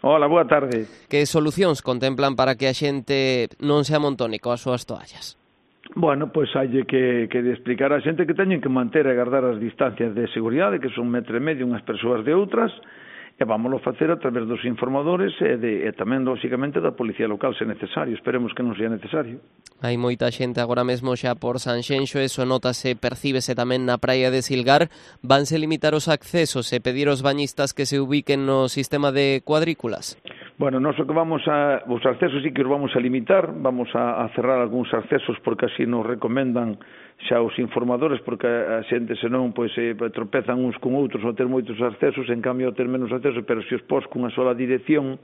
Hola, boa tarde. Que solucións contemplan para que a xente non se amontone coas súas toallas? Bueno, pois hai que explicar a xente que teñen que manter e guardar as distancias de seguridade, que son 1,5 m unhas persoas de outras, e vámoslo facer a través dos informadores e tamén, lóxicamente, da Policía Local, se necesario. Esperemos que non sea necesario. Hai moita xente agora mesmo xa por Sanxenxo, eso notase, percíbese tamén na praia de Silgar. Vanse limitar os accesos e pedir aos bañistas que se ubiquen no sistema de cuadrículas? Bueno, nós o que os accesos sí que os vamos a limitar, vamos a cerrar algúns accesos porque así nos recomendan xa os informadores, porque a xente senón pois tropezan uns con outros ao ter moitos accesos, en cambio ao ter menos accesos, pero se os pos cunha sola dirección,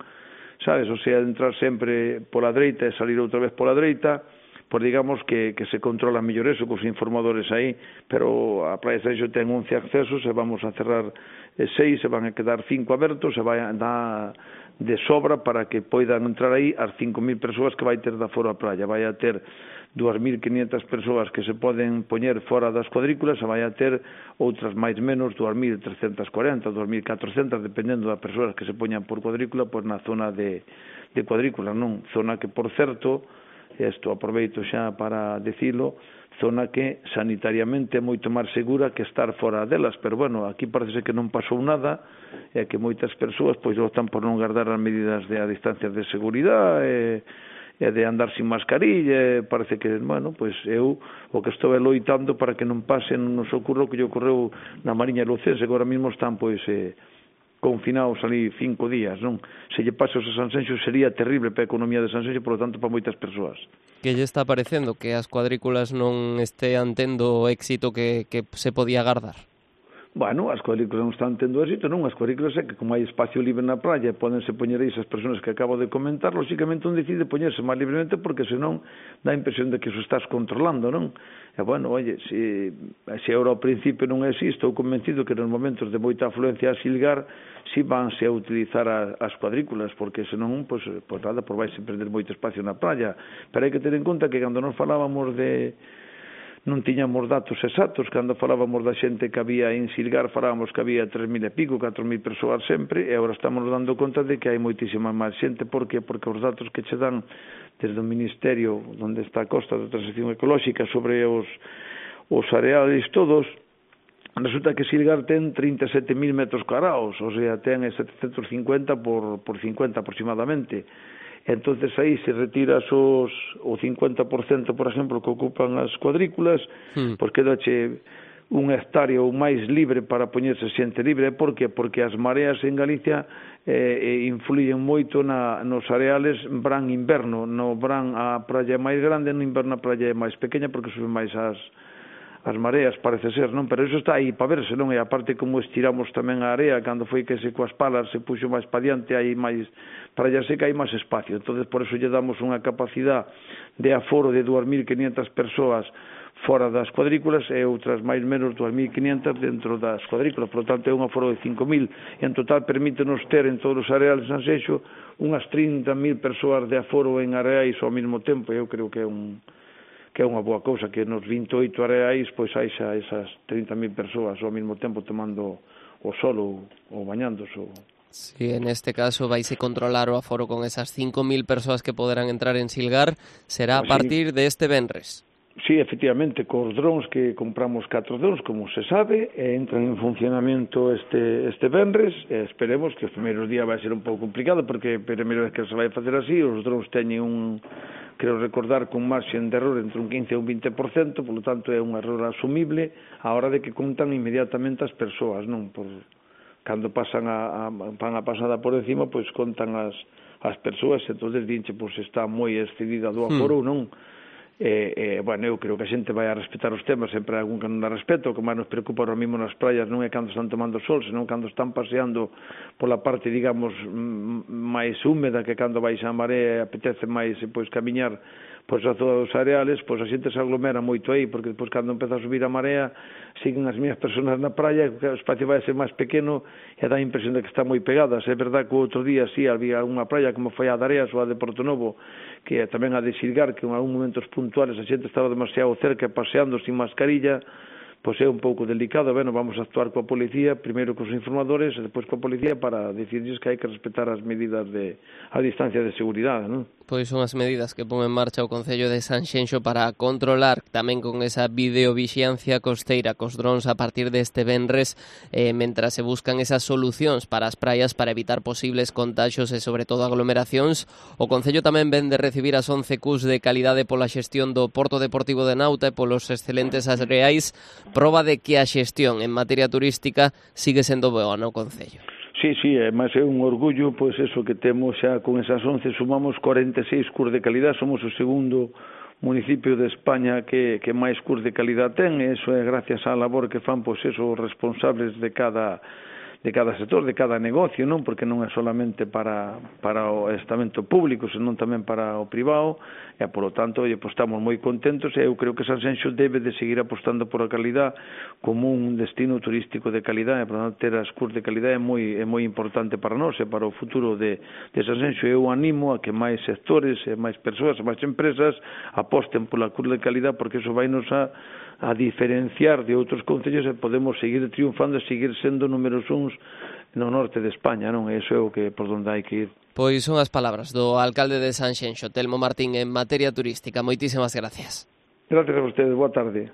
sabes, o sea, entrar sempre pola dereita e salir outra vez pola dereita, pois digamos que se controla mellor eso cos informadores aí, pero a Praia de Sanxenxo ten 11 accesos e vamos a cerrar 6, se van a quedar 5 abertos, e vai a dar de sobra para que poidan entrar aí as 5.000 persoas que vai ter da fora a praia. Vai a ter 2.500 persoas que se poden poñer fora das cuadrículas, e vai a ter outras máis menos 2.340, 2.400, dependendo das persoas que se poñan por cuadrícula, pois na zona de cuadrícula, non? Zona que, por certo, isto aproveito xa para dicilo, zona que sanitariamente é moito máis segura que estar fora delas, pero bueno, aquí parece que non pasou nada, e que moitas persoas pois optan por non guardar as medidas de a distancia de seguridade e de andar sin mascarilla, parece que, bueno, pois eu o que estou loitando para que non pase, non nos ocurra o que lle ocorreu na Mariña Lucense, que agora mesmo están pois confinados ali 5 días, non? Se lle pasa a Sanxenxo sería terrible para a economía de Sanxenxo, por lo tanto para moitas persoas. Que lle está parecendo que as cuadrículas non estean tendo o éxito que se podía agardar? Bueno, as cuadrículas non están tendo éxito, non? As cuadrículas é que como hai espacio libre na praia, podense poñer aí esas persoas que acabo de comentar, lóxicamente un decide poñerse máis libremente porque senón dá a impresión de que eso estás controlando, non? E bueno, oye, se agora ao principio non é así, estou convencido que nos momentos de moita afluencia a Silgar si vanse a utilizar as cuadrículas, porque senón, pois nada, por vais a perder moito espacio na praia. Pero hai que ter en conta que cando nos falábamos non tiñamos datos exactos, cando falábamos da xente que había en Silgar, falábamos que había 3.000 e pico, 4.000 persoas sempre, e agora estamos dando conta de que hai moitísima máis xente. Por que? Porque os datos que che dan desde o Ministerio, onde está a Costa da Transición Ecolóxica, sobre os areales todos, resulta que Silgar ten 37.000 metros cuadrados, o sea, ten 750 por 50 aproximadamente. Entonces aí se retiras o 50%, por exemplo, que ocupan as cuadrículas, pois quedache un hectárea ou máis libre para poñerse xente libre. Por que? Porque as mareas en Galicia influyen moito nos areales verán-inverno. No verán a praia é máis grande, no inverno a praia é máis pequena porque suben máis as mareas, parece ser, non? Pero iso está aí para verse, non? E aparte como estiramos tamén a area, cando foi que se coas palas se puxo máis para diante, hai máis praia seca, hai máis espacio. Entonces por eso lle damos unha capacidade de aforo de 2.500 persoas fora das cuadrículas e outras máis menos 2.500 dentro das cuadrículas. Por lo tanto é un aforo de 5.000. En total permítenos ter en todos os areales de Sanxenxo unhas 30.000 persoas de aforo en areais ao mesmo tempo. Eu creo que é unha boa cousa, que nos 28 areais pois hai xa esas 30.000 persoas ao mesmo tempo tomando o sol ou bañándose. Si, en este caso vaise controlar o aforo con esas 5.000 persoas que poderán entrar en Silgar, será a partir de este venres. Sí, efectivamente, cos drones que compramos 4 drones, como se sabe, entran en funcionamento este venres, e esperemos que os primeiros días vai ser un pouco complicado, porque a primeira vez que se vai facer así, os drones teñen creo recordar, con marxen de error entre un 15 e un 20%, polo tanto é un error asumible a hora de que contan inmediatamente as persoas, non? Cando pasan van a pasada por encima, pois contan as persoas, entonces dinche, pois está moi excedida do aforo, non? Bueno, eu creo que a xente vai a respetar os temas, sempre hai algún que non dá respeto. O que máis nos preocupa ahora mismo nas praias non é cando están tomando sol, senón cando están paseando pola parte, digamos, máis húmeda, que cando vais a marea apetece máis pois camiñar pois a todos os areales, pois a xente se aglomera moito aí, porque depois cando empeza a subir a marea siguen as miñas persoas na praia, o espacio vai a ser máis pequeno e dá a impresión de que están moi pegadas. É verdad que o outro día sí había unha praia como foi a de Areas ou a de Porto Novo, que tamén a de Silgar, que en algún momentos puntuales a xente estaba demasiado cerca paseando sin mascarilla, pois é un pouco delicado, vamos a actuar coa policía, primeiro cos informadores e depois coa policía para dicirlles que hai que respetar as medidas a distancia de seguridade, non? Pois son as medidas que pon en marcha o Concello de Sanxenxo para controlar tamén con esa videovixiancia costeira cos drons a partir deste venres, mentras se buscan esas solucións para as praias para evitar posibles contaxios e sobre todo aglomeracións. O Concello tamén ven de recibir as 11 Qs de calidade pola xestión do Porto Deportivo de Nauta e polos excelentes areais, proba de que a xestión en materia turística sigue sendo boa no Concello. Sí, mas é un orgullo, pois eso que temos xa con esas 11, sumamos 46 Qs de calidad, somos o segundo municipio de España que máis Qs de calidad ten, e iso é gracias á labor que fan, pois eso, os responsables de cada sector, de cada negocio, non? Porque non é solamente para o estamento público, senón tamén para o privado, e, polo tanto, pois, estamos moi contentos, e eu creo que Sanxenxo debe de seguir apostando por a calidad como un destino turístico de calidad, e, por tanto, ter as Qs de calidad é moi importante para nós e para o futuro de Sanxenxo. Eu animo a que máis sectores, e máis persoas, e máis empresas aposten pola Qs de calidad, porque iso vai nos a diferenciar de outros concellos e podemos seguir triunfando e seguir sendo números uns no norte de España, non? Eso é o que por onde hai que ir. Pois son as palabras do alcalde de Sanxenxo, Telmo Martín, en materia turística. Moitísimas gracias. Gracias a ustedes, boa tarde.